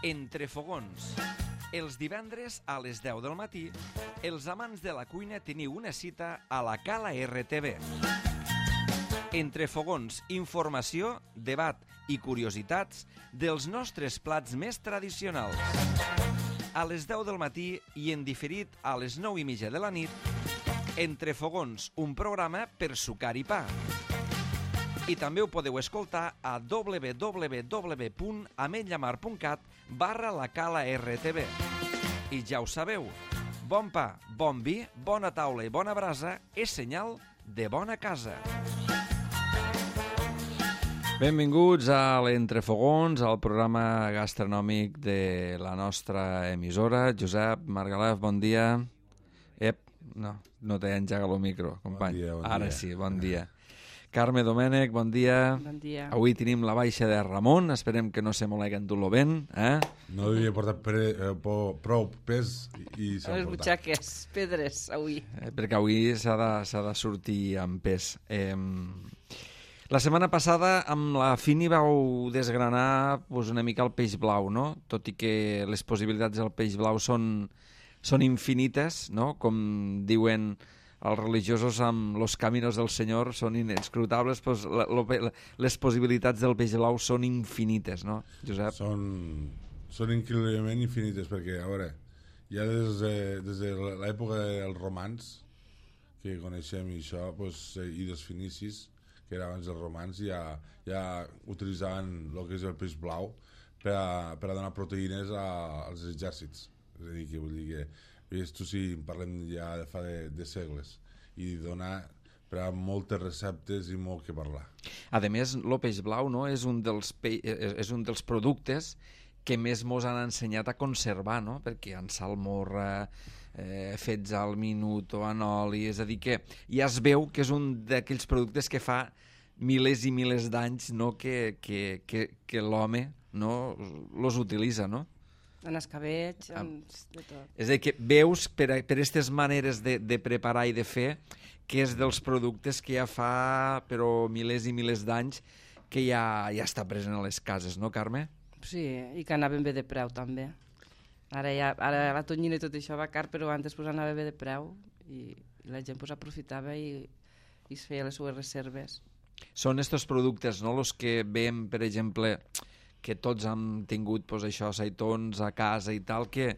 Entre fogons. Els divendres a les 10 del matí, els amants de la cuina teniu una cita a la Cala RTV. Entre fogons, informació, debat i curiositats dels nostres plats més tradicionals. A les 10 del matí i en diferit a les 9:30 de la nit, Entre fogons, un programa per sucar i pa. I també ho podeu escoltar a www.ametlllamar.cat/la Cala RTV. I ja ho sabeu, bon pa, bon vi, bona taula i bona brasa és senyal de bona casa. Benvinguts a l'Entrefogons, al programa gastronòmic de la nostra emissora. Josep Margalef, bon dia. No t'he engegat el micro, company. Bon dia. Ara sí, bon dia. Carme Domènech, bon dia. Bon dia. Avui tenim la baixa de Ramon, esperem que no se m'ho l'haguen dut-lo ben. No havia portat prou pes i s'ha Les portat. butxaques, pedres, avui. Perquè avui s'ha de sortir amb pes. La setmana passada amb la Fini vau desgranar una mica el peix blau, no? Tot i que les possibilitats del peix blau són infinites, no? Com diuen els religiosos amb los caminos del Senyor són inescrutables, doncs les possibilitats del peix blau són infinites, no, Josep? Són increïblement infinites, perquè, a veure, ja des de l'època dels romans, que coneixem això, i dels finicis, que era abans dels romans, ja utilitzaven el que és el peix blau per a donar proteïnes als exèrcits. És a dir, que vull dir que tu sí, parlem ja de fa de segles, i donar per a moltes receptes i molt que parlar. A més, el peix blau, no, és un dels productes que més mos han ensenyat a conservar, no? Perquè en salmorra, fets al minut o en oli, és a dir, que ja es veu que és un d'aquells productes que fa milers i milers d'anys, no, que l'home, no, los utilitza, no? En escabeig, de tot. És a dir, que veus per aquestes maneres de preparar i de fer que és dels productes que ja fa però milers i milers d'anys que ja està present a les cases, no, Carme? Sí, i que anaven bé de preu, també. Ara la tonyina i tot això va car, però antes anava bé de preu i la gent aprofitava i es feia les seues reserves. Són estos productes, no?, els que veiem, per exemple, que tots han tingut això, aceitons a casa i tal, que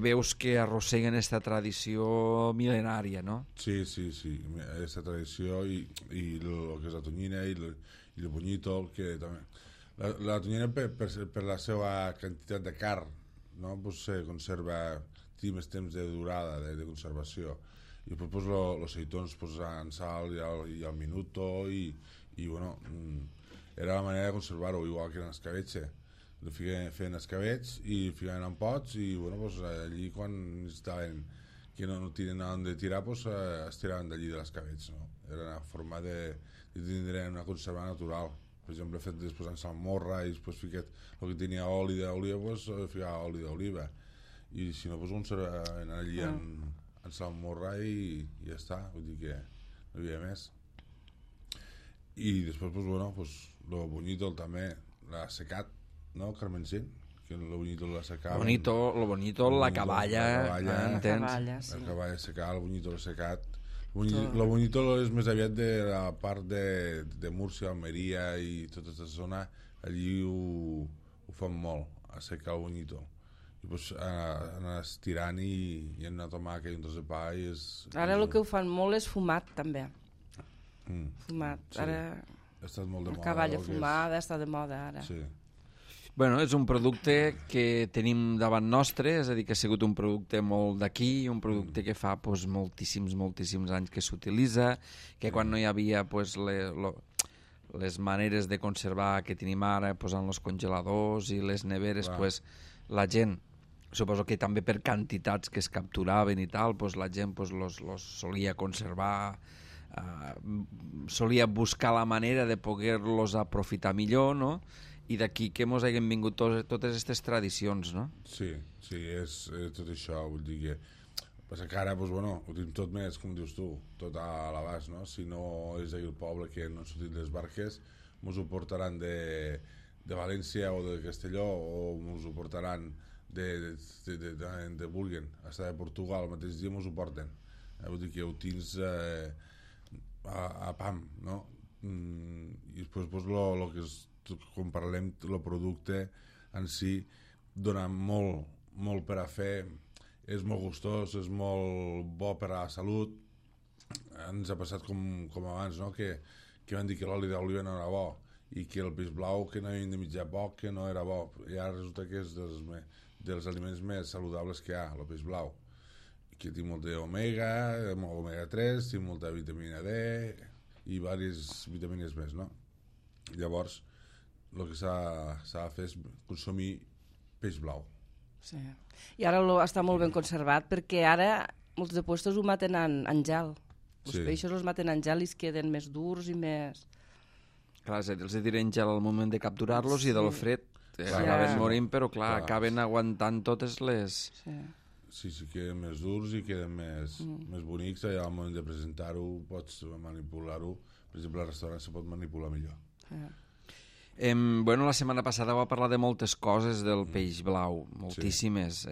veus que arrosseguen aquesta tradició mil·lenària, no? Sí, aquesta tradició i el que és la tonyina i el bunyito, que també... La tonyina, per la seva quantitat de carn, no? Se conserva, té més temps de durada, de conservació. I després els aceitons en sal i al minuto i bueno... Era la manera de conservar-ho, igual que en escabetxe. Feien escabets i ficaven en pots i allí quan estaven que no tenen on de tirar es tiraven d'allí de l'escabetx, no? Era una forma de tindre una conserva natural. Per exemple, fet després en salmorra i després ficat el que tenia oli d'oliva, ficava oli d'oliva, i si no conservaven allí en salmorra i ja està, vull dir que no hi havia més. I després, el bunyito també l'ha secat, no, Carmencín? Que el bunyito l'ha secat. El bunyito, la caballa, entens? La caballa secat, el bunyito l'ha secat. El bunyito és més aviat de la part de Múrcia, Almeria i tota aquesta zona, allí ho fan molt, a secar el bunyito. I anar estirant i anar a tomàquet i un tros de pa i és... Ara el que ho fan molt és fumat, també. Fumat, sí. Ara la caballa fumada està de moda ara. Sí. Bueno, és un producte que tenim davant nostre, és a dir, que ha sigut un producte molt d'aquí, un producte que fa moltíssims anys que s'utilitza, que quan no hi havia les maneres de conservar que tenim ara, posant els congeladors i les neveres, la gent, suposo que també per quantitats que es capturaven i tal, la gent los solia conservar, solia buscar la manera de poder-los aprofitar millor, no? I d'aquí que mos hagin vingut totes aquestes tradicions, no? Sí, és tot això, vull dir que passa que ara, ho tenim tot més, com dius tu, tot a l'abast, no? Si no és d'aquí el poble que no han sortit les barques, mos ho portaran de València o de Castelló, o ens ho portaran de Burgen, hasta de Portugal, el mateix dia ens ho porten. Vull dir que ho tens a pam, no? I després pues, lo que és, quan parlem el producte en si dona molt per a fer, és molt gustós, és molt bo per a la salut. Ens ha passat com abans, no? que van dir que l'oli d'oliva no era bo i que el peix blau que no havien de mitjar poc que no era bo, i ara resulta que és dels aliments més saludables que hi ha, el peix blau, que té molt omega 3, té molta vitamina D i diverses vitamines més, no? Llavors el que s'ha de fer és consumir peix blau. Sí. I ara està molt ben conservat, perquè ara molts de puestos ho maten en gel. Els peixos els maten en gel i es queden més durs i més... Clar, els tiren gel al moment de capturar-los i del fred acaben morint, però clar, acaben aguantant totes les... Sí, queden més durs i queden més bonics, i al moment de presentar-ho pots manipular-ho. Per exemple, al restaurant se pot manipular millor. Bueno, la setmana passada va parlar de moltes coses del peix blau, moltíssimes,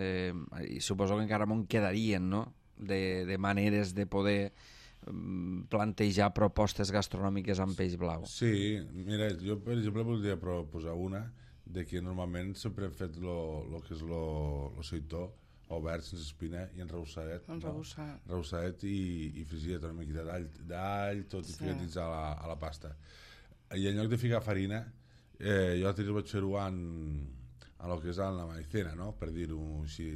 i suposo que encara m'en quedarien, no?, de maneres de poder plantejar propostes gastronòmiques amb peix blau. Sí, mira, jo per exemple voldria proposar una de que normalment sempre hem fet el que és el seitó obert sense espina i enreboussadet, enreboussadet i frigidet, una miqueta d'all, tot i ficat a la pasta. I en lloc de ficar farina, jo l'altre vaig fer-ho en el que és en la maicena, no?, per dir-ho així.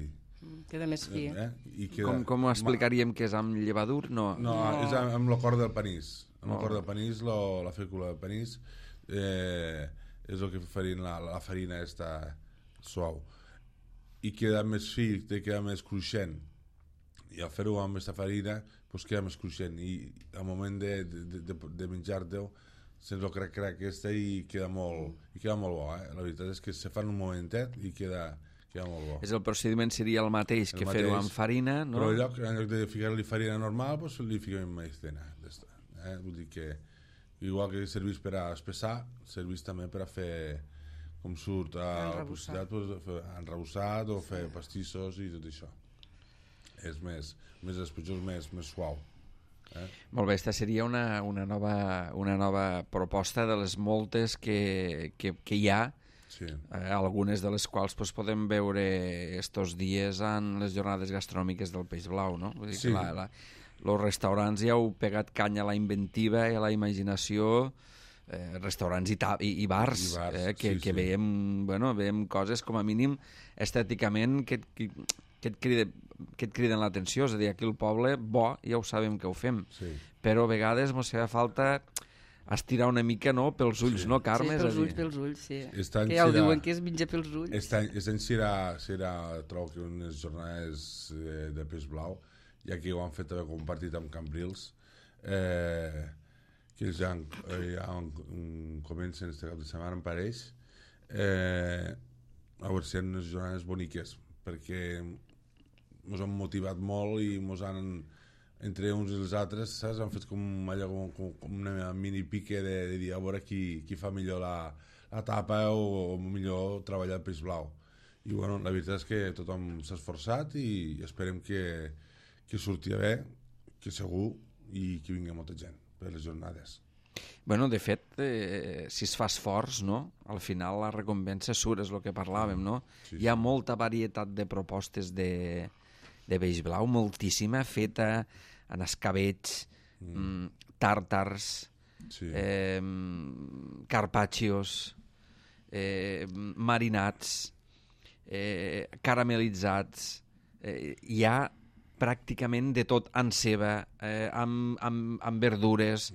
Queda més fi. Com ho explicaríem, que és amb llevadur? No, és amb el cor del panís. Amb el cor del panís, la fècula del panís, és el que farien la farina està suau. I queda més fi, queda més cruixent. I al fer-ho amb aquesta farina, doncs queda més cruixent. I al moment de menjar-te-ho, sents el crac aquesta i queda molt bo. La veritat és que se fa en un momentet i queda molt bo. El procediment seria el mateix que fer-ho amb farina, no? Però en lloc de ficar-li farina normal, doncs li fiquem maicena. Vull dir que igual que serveix per a espessar, serveix també per a fer, com surt a enrebossat o fer pastissos i tot això. És més espetxós, més suau. Molt bé, aquesta seria una nova proposta de les moltes que hi ha. Sí. Algunes de les quals podem veure estos dies en les jornades gastronòmiques del peix blau, no? Vull dir que els restaurants ja heu pegat canya a la inventiva i a la imaginació, restaurants i bars, que veiem coses com a mínim estèticament que et criden l'atenció. És a dir, aquí al poble, bo, ja ho sabem que ho fem, però a vegades ens fa falta estirar una mica, no?, pels ulls, no, Carme? Sí, pels ulls, sí. Que ja ho diuen, que es menja pels ulls. Aquest any serà trobo que unes jornades de peix blau, ja que ho han fet també compartit amb Cambrils, que ja comencen este cap de setmana, em pareix, a veure si hi ha unes jornades boniques, perquè ens han motivat molt i ens han... entre uns i els altres, saps? Han fet com una mini pique de dir a veure qui fa millor la tapa o millor treballar el peix blau. I bueno, la veritat és que tothom s'ha esforçat i esperem que surti bé, que segur, i que vingui molta gent per les jornades. Bueno, de fet, si es fa esforç, no?, al final la recompensa surt, és el que parlàvem, no? Sí. Hi ha molta varietat de propostes de peix blau, moltíssima, feta en escabetx, tàrtars, carpaccios, marinats, caramelitzats, hi ha pràcticament de tot, en ceba, amb verdures,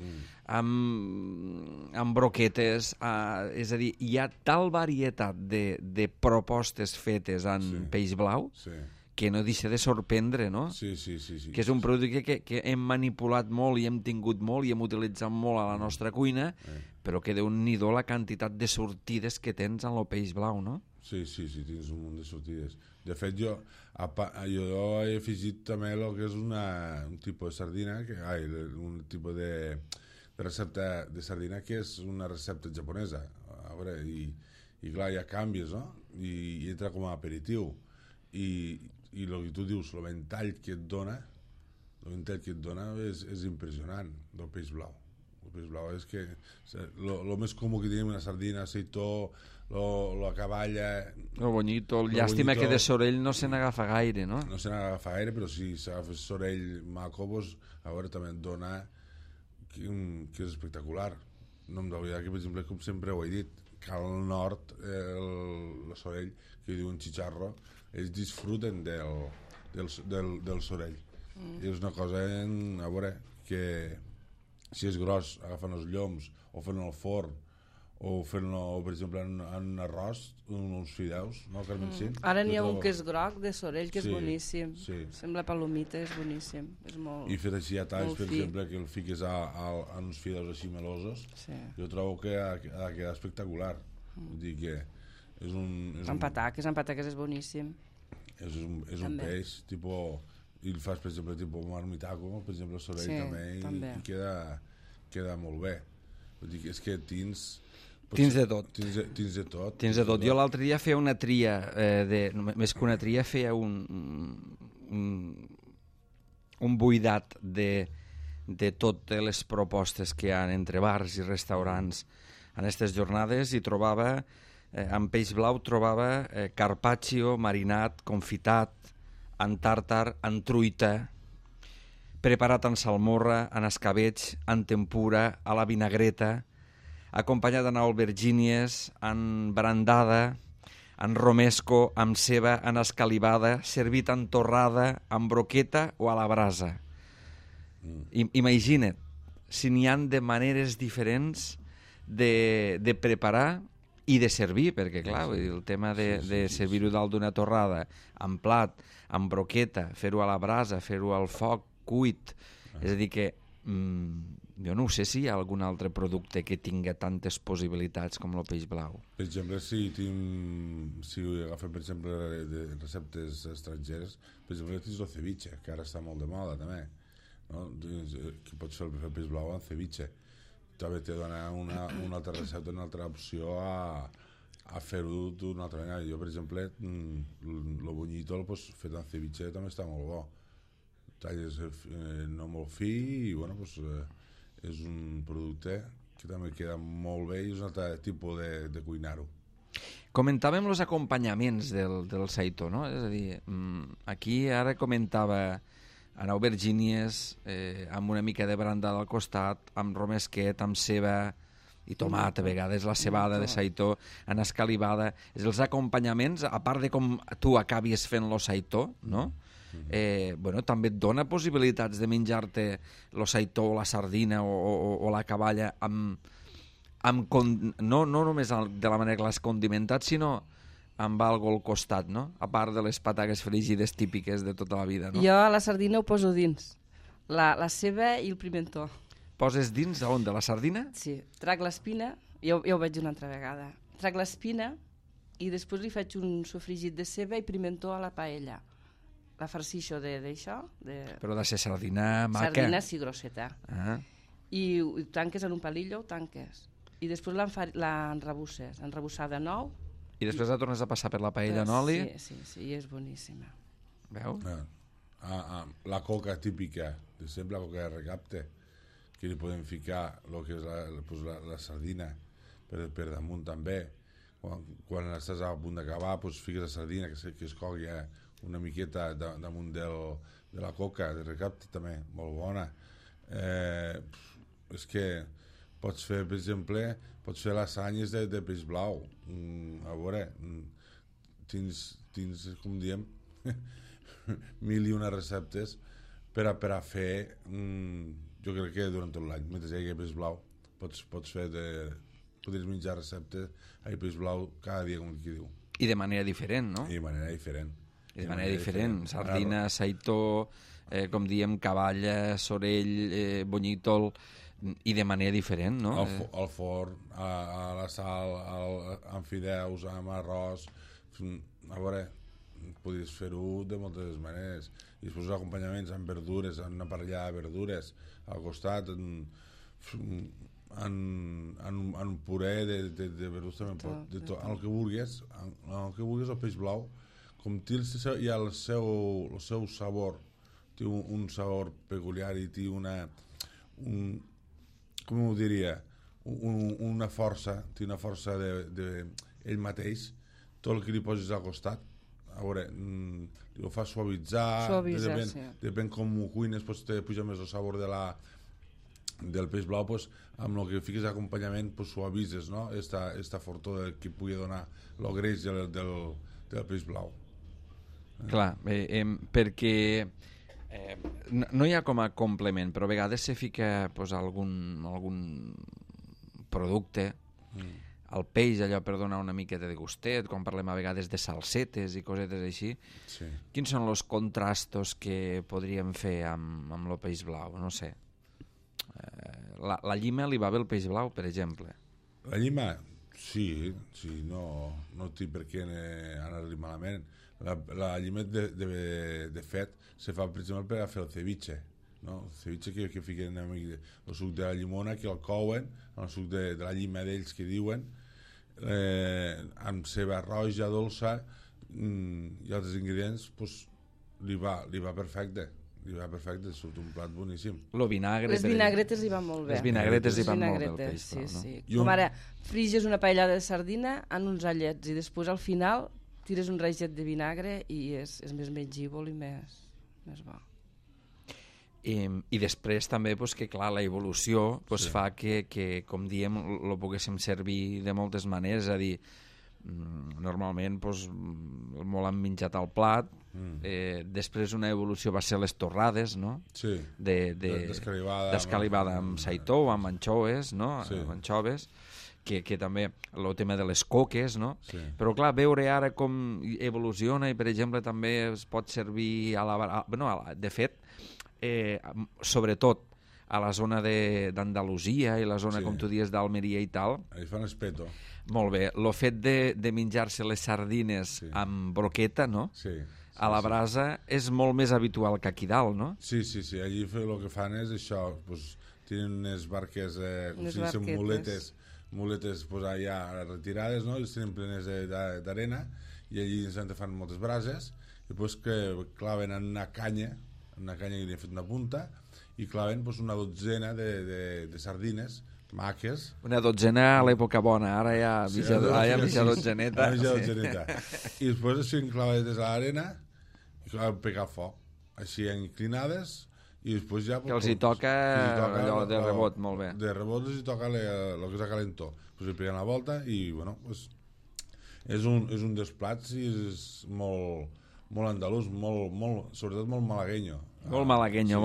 amb broquetes, és a dir, hi ha tal varietat de propostes fetes en peix blau que no deixa de sorprendre, no? Sí. Que és un producte que hem manipulat molt i hem tingut molt i hem utilitzat molt a la nostra cuina, però que déu-n'hi-do la quantitat de sortides que tens en el peix blau, no? Sí, tens un munt de sortides. De fet, jo he afegit també el que és un tipus de sardina, un tipus de recepta de sardina que és una recepta japonesa. A veure, i clar, ja canvies, no? I entra com a aperitiu. I el que tu dius, el ventall que et dona, és impressionant, del peix blau. El peix blau és que el més comú que tenim una sardina, aceitó, la caballa... El bonyito, llàstima que de sorell no se n'agafa gaire, no? No se n'agafa gaire, però si s'agafa sorell maco, doncs, a veure, també et dona que és espectacular. No em d'oblidar que, per exemple, com sempre ho he dit, que al nord, el sorell, que diuen xicharro, ells disfruten del sorell. I és una cosa, a veure, que si és gros, agafen els lloms, o fan el forn, o fent-lo, per exemple, en un arròs, uns fideus, no, Carmen Cint? Ara n'hi ha un que és groc, de sorell, que és Sí, boníssim. sí. Sembla palomita, és boníssim. És molt, I fet així a talls, molt per fi. exemple, que el fiques a uns fideus així melosos, Sí. jo trobo que ha de quedar espectacular. Vull dir que és Amb pataques és boníssim. és un També. peix, tipus, i el fas, per exemple, tipus marmitaco, per exemple, el sorell Sí, també, també. i queda molt bé. Vull dir que és que tins de tot. Tins de tot. Tens de tot. Jo l'altre dia feia una tria, més que una tria, feia un buidat de totes les propostes que hi ha entre bars i restaurants en aquestes jornades i trobava, amb peix blau, trobava carpaccio, marinat, confitat, en tàrtar, en truita, preparat en salmorra, en escabeig, en tempura, a la vinagreta, acompanyat en albergínies, en brandada, en romesco, amb ceba, en escalivada, servit en torrada, en broqueta o a la brasa. Imagina't, si n'hi han de maneres diferents de preparar i de servir, perquè clar, vull dir, el tema de servir-ho dalt d'una torrada, en plat, en broqueta, fer-ho a la brasa, fer-ho al foc, cuit, és a dir que jo no sé si hi ha algun altre producte que tinga tantes possibilitats com el peix blau. Per exemple, si agafem, per exemple, de receptes estrangeres, per exemple, tens el ceviche, que ara està molt de moda, també, no? Que pots fer el peix blau amb ceviche. També te dona una altra recepta, una altra opció a fer-ho d'una altra manera. Jo, per exemple, el bonyito fet amb ceviche també està molt bo. Talles no molt fi i, bueno, és un producte que també queda molt bé i és un altre tipus de cuinar-ho. Comentàvem els acompanyaments del saitó, no? És a dir, aquí ara comentava en aubergínies, amb una mica de brandada al costat, amb romesquet, amb ceba i tomat, a vegades la cebada de saitó, en escalivada. Els acompanyaments, a part de com tu acabis fent lo saitó, no? Bueno, també et dona possibilitats de menjar-te el saitó o la sardina o la caballa no només de la manera que l'has condimentat, sinó amb algo al costat, no? A part de les patates frígides típiques de tota la vida, no? Jo a la sardina ho poso dins, la ceba i el pimentó. Poses dins on? De la sardina? Sí, trac l'espina, ja ho veig una altra vegada, trac l'espina i després li faig un sofregit de ceba i pimentó a la paella. La farcixo d'això. Però de ser sardina maca. Sardina, sí, grosseta. I ho tanques en un palillo, ho tanques. I després l'enrebusses, enrebussada nou. I després la tornes a passar per la paella en oli? Sí, i és boníssima. Veus? La coca típica, de sempre la coca de recapte, que li podem ficar el que és la sardina per damunt també. Quan estàs a punt d'acabar, fiques la sardina que es cogui una miqueta damunt de la coca de recapte també, molt bona. És que pots fer, per exemple, lasanyes de peix blau. A veure, tens, com diem, 1001 receptes per a fer, jo crec que durant tot l'any, mentre hi hagi peix blau, podries menjar receptes a peix blau cada dia, com qui diu. I de manera diferent, no? I de manera diferent. Sardina, saitó, com diem, caballa, sorell, bonyítol, i de manera diferent, no? Al forn, a la sal, amb fideus, amb arròs. A veure, podries fer-ho de moltes maneres. I després acompanyaments amb verdures, amb una parellada de verdures al costat. en puré de verdurs també pot, de tot, el que vulguis, el peix blau, com té hi ha el seu sabor, té un sabor peculiar i té com ho diria, una força ell mateix, tot el que li poses al costat, a veure, ho fa suavitzar, depèn com ho cuines, te puja més el sabor del peix blau, amb el que fiques d'acompanyament suavitzes, no? Esta fortor que pugui donar el greix del peix blau. Clar, perquè no hi ha com a complement, però a vegades se fica algun producte al peix, allò per donar una miqueta de gustet, quan parlem a vegades de salsetes i cosetes així. Sí. Quins són els contrastos que podríem fer amb el peix blau? No sé. La llima li va bé el peix blau, per exemple. La llima, sí, no té per què anar-li malament. La llima, de fet, se fa, per exemple, per a fer el ceviche. No? El ceviche que fiquen el suc de la llimona, que el couen, el suc de la llima d'ells que diuen, amb ceba roja, dolça i altres ingredients, li va perfecte. Surt un plat boníssim. Les vinagretes li van molt bé. Les vinagretes li van molt bé al peix blau, no? Sí. Com ara, friges una paellada de sardina en uns allets i després al final tires un raget de vinagre i és més mengívol i més bo. I després també que clar, la evolució fa que com diem lo poguéssim servir de moltes maneres, és a dir, normalment molt han menjat al plat, després una evolució va ser les torrades, no? Sí, d'escalivada amb saitó o amb anxoves, no? Sí. Amb anxoves, que també el tema de les coques, no? Sí. Però clar, veure ara com evoluciona i per exemple també es pot servir de fet, sobretot a la zona d'Andalusia i la zona, com tu dius, d'Almeria i tal. Ells fan espeto. Molt bé. El fet de menjar-se les sardines amb broqueta, no? Sí. A la brasa és molt més habitual que aquí dalt, no? Sí. Allí el que fan és això, tenen unes barques, muletes allà retirades, no? I les tenen plenes d'arena i allí fan moltes brases i que claven en una canya que li han fet una punta i claven una dotzena de sardines maques. Una dotzena a l'època bona, ara ja mitja dotzeneta. I després així enclavades a l'arena i pegar foc, així inclinades i després ja... Que els hi toca allò de rebot, molt bé. De rebot els hi toca el que és la calentor. Li peguen la volta i, és un dels plats i és molt andalús, sobretot molt malagueño. Molt malagueño,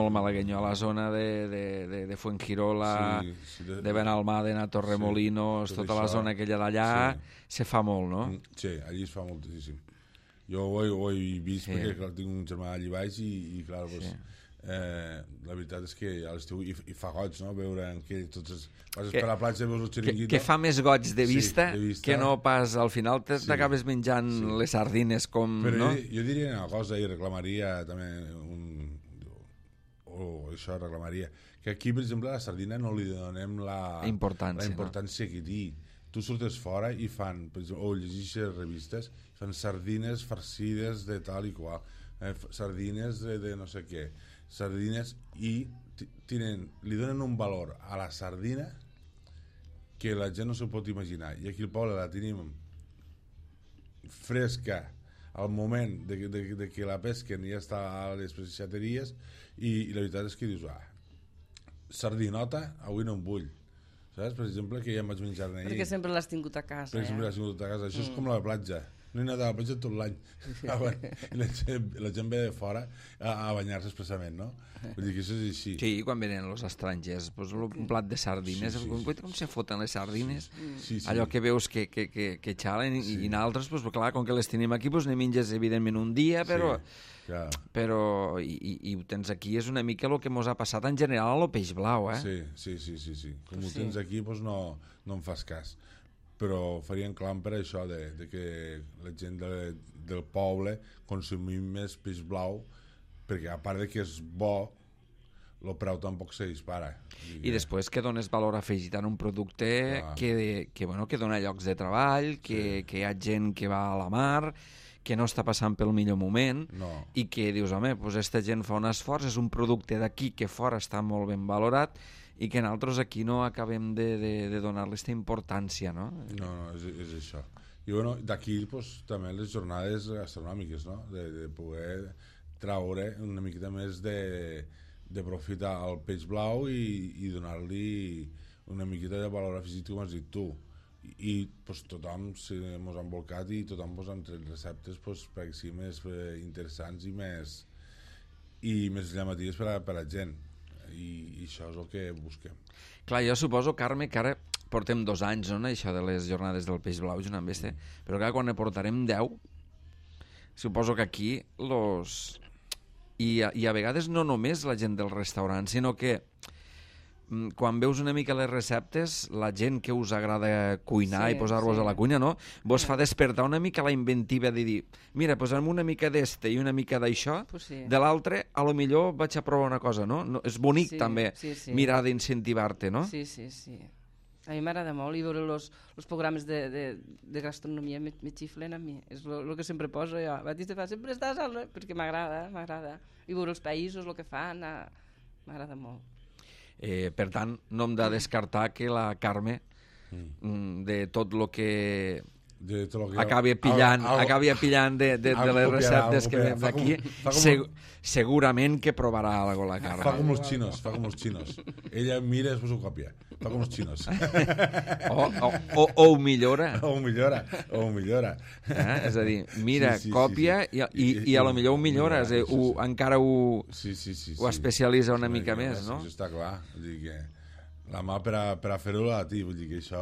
a la zona de Fuengirola, de Benalmádena, Torremolinos, tota la zona aquella d'allà, se fa molt, no? Sí, allí es fa moltíssim. Jo ho he vist perquè clar, tinc un germà allà baix i clar, la veritat és que a l'estiu hi fa goig, no? Veure que passes per la platja, veus el xiringuito. Que fa més goig de vista que no pas al final t'acabes menjant les sardines com... Però jo diria una cosa i reclamaria també reclamaria que aquí, per exemple, a la sardina no li donem la importància que té. Tu surtes fora i fan, per exemple, o llegeixes revistes, fan sardines farcides de tal i qual, sardines de no sé què, sardines i li donen un valor a la sardina que la gent no s'ho pot imaginar. I aquí al poble la tenim fresca al moment de que la pesquen ja està a les pescateries i la veritat és que dius sardinota avui no en vull, saps? Per exemple, que ja em vaig menjar ahir perquè sempre l'has tingut a casa. Això és com la platja, no he anat a la platja tot l'any la gent ve de fora a banyar-se expressament, no? Vull dir que això és així. Sí, quan venen els estrangers un plat de sardines, com se foten les sardines, allò que veus que xalen i naltres, clar, com que les tenim aquí ne menges evidentment un dia, però i ho tens aquí és una mica el que mos ha passat en general a lo peix blau, Sí. Com ho tens aquí no em fas cas, però farien clam per això de que la gent del poble consumim més peix blau, perquè a part de que és bo, el preu tampoc se dispara. I després que dones valor afegit en un producte que dona llocs de treball, que hi ha gent que va a la mar, que no està passant pel millor moment, i que dius, home, doncs aquesta gent fa un esforç, és un producte d'aquí que fora està molt ben valorat, i que nosaltres aquí no acabem de donar-li aquesta importància, no? No, és això. I bueno, d'aquí pues, també les jornades gastronòmiques, no? De poder traure una miqueta més de profit al peix blau i donar-li una miqueta de valor afegit, com has dit tu. I pues, tothom ens ha embolcat i tothom pues, han tret receptes pues, perquè sigui més interessants i més llamatives per a la gent. I això és el que busquem. Clar, jo suposo, Carme, que ara portem 2 anys, no?, això de les jornades del peix blau, junt amb este, però clar, quan ne portarem 10, suposo que aquí I a vegades no només la gent del restaurant, sinó que quan veus una mica les receptes, la gent que us agrada cuinar i posar-vos a la cuina, no? Vos fa despertar una mica la inventiva de dir, mira, posa'm una mica d'este i una mica d'això, de l'altre, a lo millor vaig a provar una cosa, no? És bonic també mirar d'incentivar-te, no? Sí. A mi m'agrada molt i veure els programes de gastronomia me xiflen a mi. És el que sempre poso jo. Batista sempre estàs perquè m'agrada. I veure els països, el que fan, m'agrada molt. Per tant, no hem de descartar que la Carme, de tot el que acabi pillant de les receptes que veiem d'aquí, segurament que provarà alguna cosa la Carme. Fa com els xinos. Ella mira i després ho copia. Fa com els xinos. O ho millora. O ho millora. És a dir, mira, còpia i a lo millor ho millora, encara ho especialitza una mica més, no? Això està clar. La mà per a fer-ho a ti, vull dir que això...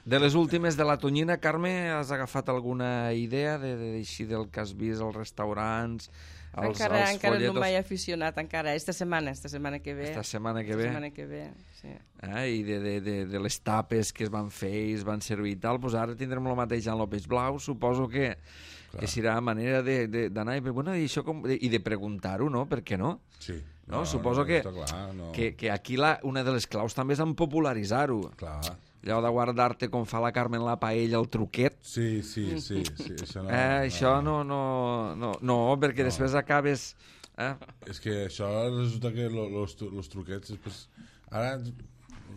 De les últimes de la tonyina, Carme, has agafat alguna idea d'així del que has vist als restaurants, als folletos? Encara no m'he aficionat, encara. Esta setmana que ve. Esta setmana que ve, sí. I de les tapes que es van fer i es van servir i tal, doncs ara tindrem el mateix en el peix blau, suposo que serà manera d'anar i de preguntar-ho, no? Per què no? Sí. No? Suposo que aquí una de les claus també és en popularitzar-ho. Clar. Allò de guardar-te com fa la Carme en la paella, el truquet. Sí, això no... Això no, perquè després acabes... És que això resulta que els truquets... Després, ara,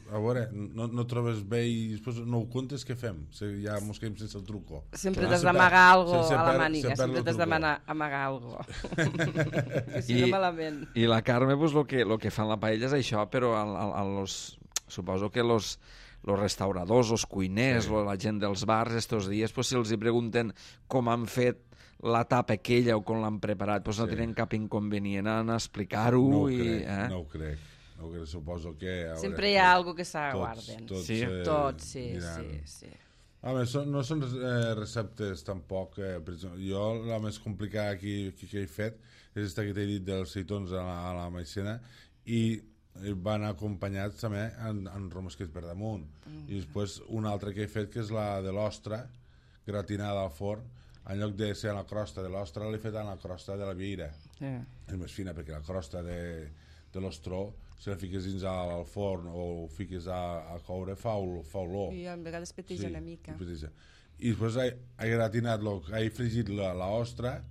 a veure, no trobes bé i després no ho comptes, què fem? Ja mos quedem sense el truco. Sempre t'has d'amagar alguna cosa a la màniga, sempre t'has d'amagar alguna cosa. Que si no malament. I la Carme, el que fa en la paella és això, però suposo que los restauradors, els cuiners, la gent dels bars, estos dies, si els pregunten com han fet la tapa aquella o com l'han preparat, no tenen cap inconvenient en explicar-ho. No ho crec. Suposo que... Sempre hi ha alguna que s'aguarden. Tots, sí. No són receptes tampoc. Jo la més complicada que he fet és aquesta que t'he dit dels seitons a la maicena i van acompanyats també en romesquets per damunt. I després una altra que he fet, que és la de l'ostra gratinada al forn, en lloc de ser a la crosta de l'ostra l'he fet a la crosta de la vieira. És més fina, perquè la crosta de l'ostró, si la fiques dins al forn o ho fiques a coure, fa olor. I a vegades peteja una mica. I després he fregit l'ostra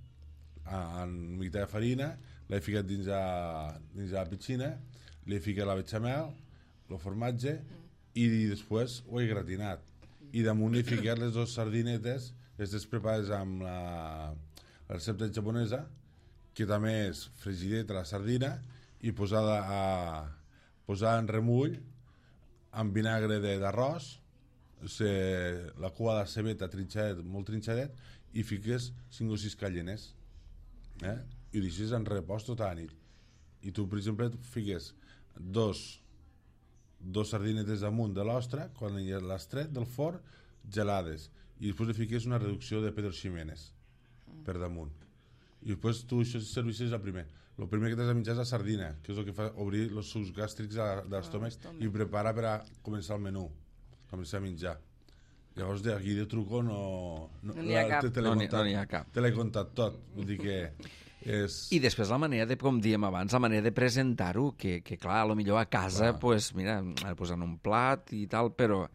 en mica de farina, l'he ficat dins la piscina, li he ficat la bechamel, el formatge, i després ho he gratinat. I damunt he ficat les 2 sardinetes, aquestes preparades amb la recepta japonesa, que també és fregideta la sardina, i posada en remull, amb vinagre d'arròs, la cua de cebeta trinxadet, molt trinxadet, i fiques 5 o 6 callenes. I ho deixes en repòs tota la nit. I tu, per exemple, fiques 2 sardinetes damunt de l'ostra, quan l'has tret del forn, gelades, i després li fiques una reducció de Pedro Ximénez per damunt, i després tu això servisses el primer que t'has de menjar és la sardina, que és el que fa obrir els sucs gàstrics de l'estómac i prepara per a començar el menú, començar a menjar. Llavors d'aquí de truco no n'hi ha cap. Te l'he contat tot, vull dir que I després la manera de, com diem abans, la manera de presentar-ho, que clar, potser a casa, pues, mira, posant un plat i tal, però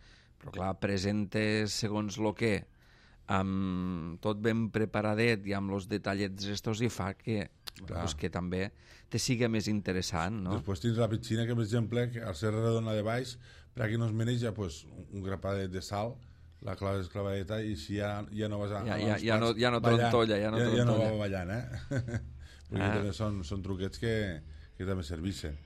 clar, presentes segons el que, amb tot ben preparadet i amb els detallets estos, i fa que, pues, que també te siga més interessant, no? Després tens la piscina, que per exemple, al ser redona de baix, per aquí no es maneja, pues, un grapadet de sal, la clavadeta, i si ja no vas a... Ja no trontolla. Ja no va ballant, perquè també són truquets que també serveixen.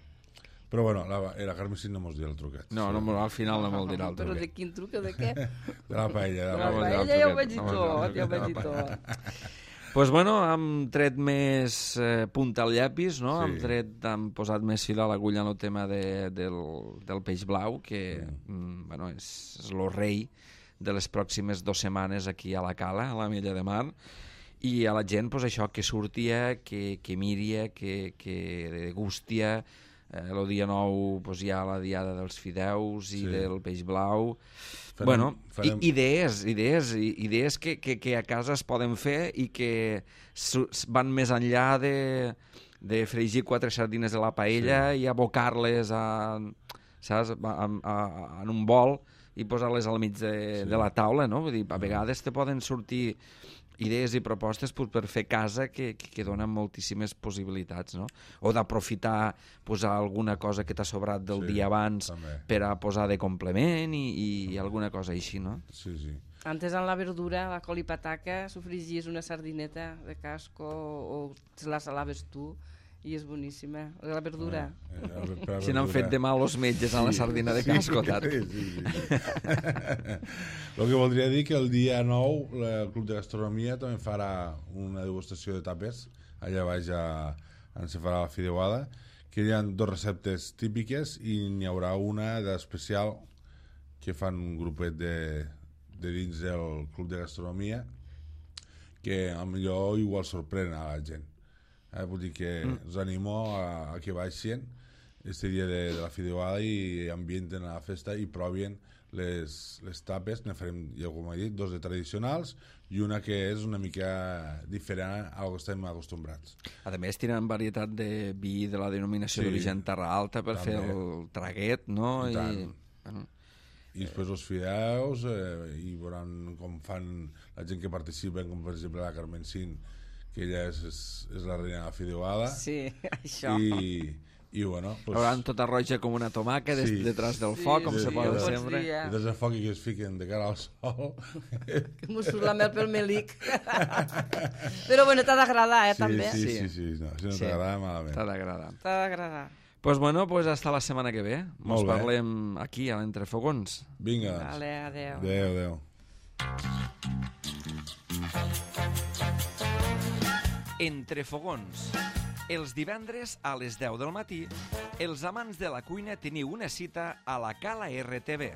Però bueno, la Carme sí no mos dirà el truquet. No, al final no mos dirà el truquet. Però de quin truc o de què? De la paella. De la paella ja ho veig i tot, Pues bueno, hem tret més punta al llapis, no? Sí. Hem posat més fil a l'agulla en el tema del peix blau, que bueno, és el rei de les pròximes 2 setmanes aquí a la Cala, a la Mella de Mar, i a la gent, pues, això, que surtia, que miria, que degustia. El dia 9 pues, hi ha la diada dels fideus i del peix blau. Idees que a casa es poden fer i que van més enllà de fregir 4 sardines a la paella i abocar-les en un bol i posar-les al mig de la taula, no? Vull dir, a vegades te poden sortir idees i propostes per fer casa que donen moltíssimes possibilitats, no? O d'aprofitar, posar alguna cosa que t'ha sobrat del dia abans per a posar de complement i alguna cosa així, no? Sí. Antes en la verdura, la col i pataca, sofregies una sardineta de casco o te la salaves tu i és boníssima. La verdura. Si n'han fet de mal els metges a la sardina de casco, tant. Sí. El que voldria dir que el dia 9 el Club de Gastronomia també farà una degustació de tapes allà baix on se farà la fideuada, que hi ha 2 receptes típiques i n'hi haurà una d'especial que fan un grupet de dins del Club de Gastronomia que potser igual sorprèn a la gent. Vull dir que us animo a que baixin este dia de la fideuada i ambienten a la festa i provien les tapes. Ne farem, ja com he dit, 2 de tradicionals i una que és una mica diferent al que estem acostumbrats. A més, tenen varietat de vi de la denominació d'origen Terra Alta per fer el traguet, no? I després els fideus, i veuran com fan la gent que participa, com per exemple la Carmen Cin, que ella és la reina de la fideuada. Sí, això. I bueno... Hauran tota roja com una tomaca detrás del foc, com se posa sempre. Detrás del foc i que es fiquen de cara al sol. Que m'ho surt la mel pel melic. Però bueno, t'ha d'agradar, també. Sí. No, si no t'agrada, malament. T'ha d'agradar. T'ha d'agradar. Pues bueno, hasta la setmana que ve. Ens parlem aquí, a l'Entrefogons. Vinga. Vale, adeu. Adeu. Entrefogons. Els divendres a les 10 del matí, els amants de la cuina teniu una cita a la Cala RTV.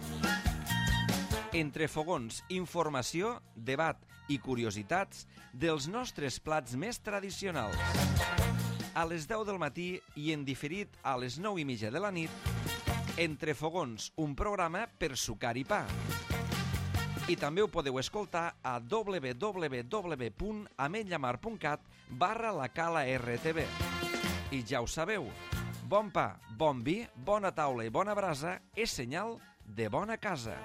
Entrefogons, informació, debat i curiositats dels nostres plats més tradicionals. A les 10 del matí i en diferit a les 9:30 de la nit, Entrefogons, un programa per sucar i pa. I també ho podeu escoltar a www.ametlllamar.cat/la Cala RTV. I ja ho sabeu, bon pa, bon vi, bona taula i bona brasa és senyal de bona casa.